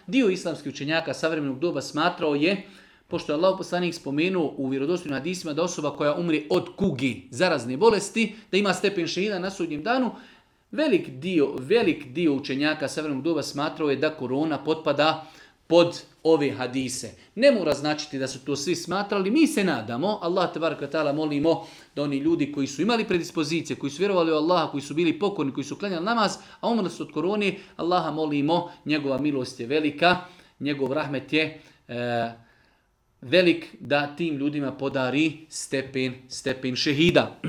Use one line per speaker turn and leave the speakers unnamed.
dio islamskih učenjaka savremenog doba smatrao je, pošto je Allah poslanik spomenuo u vjerodostojnim hadisima da osoba koja umre od kugi, zarazne bolesti, da ima stepen šehida na sudnjem danu, velik dio učenjaka savremenog doba smatrao je da korona potpada pod ove hadise. Ne mora značiti da su to svi smatrali, mi se nadamo, Allah tebareke ve taala molimo da oni ljudi koji su imali predispozicije, koji su vjerovali u Allaha, koji su bili pokorni, koji su klanjali namaz, a umrli su od korone, Allaha molimo, njegova milost je velika, njegov rahmet je velik da tim ljudima podari stepen šehida.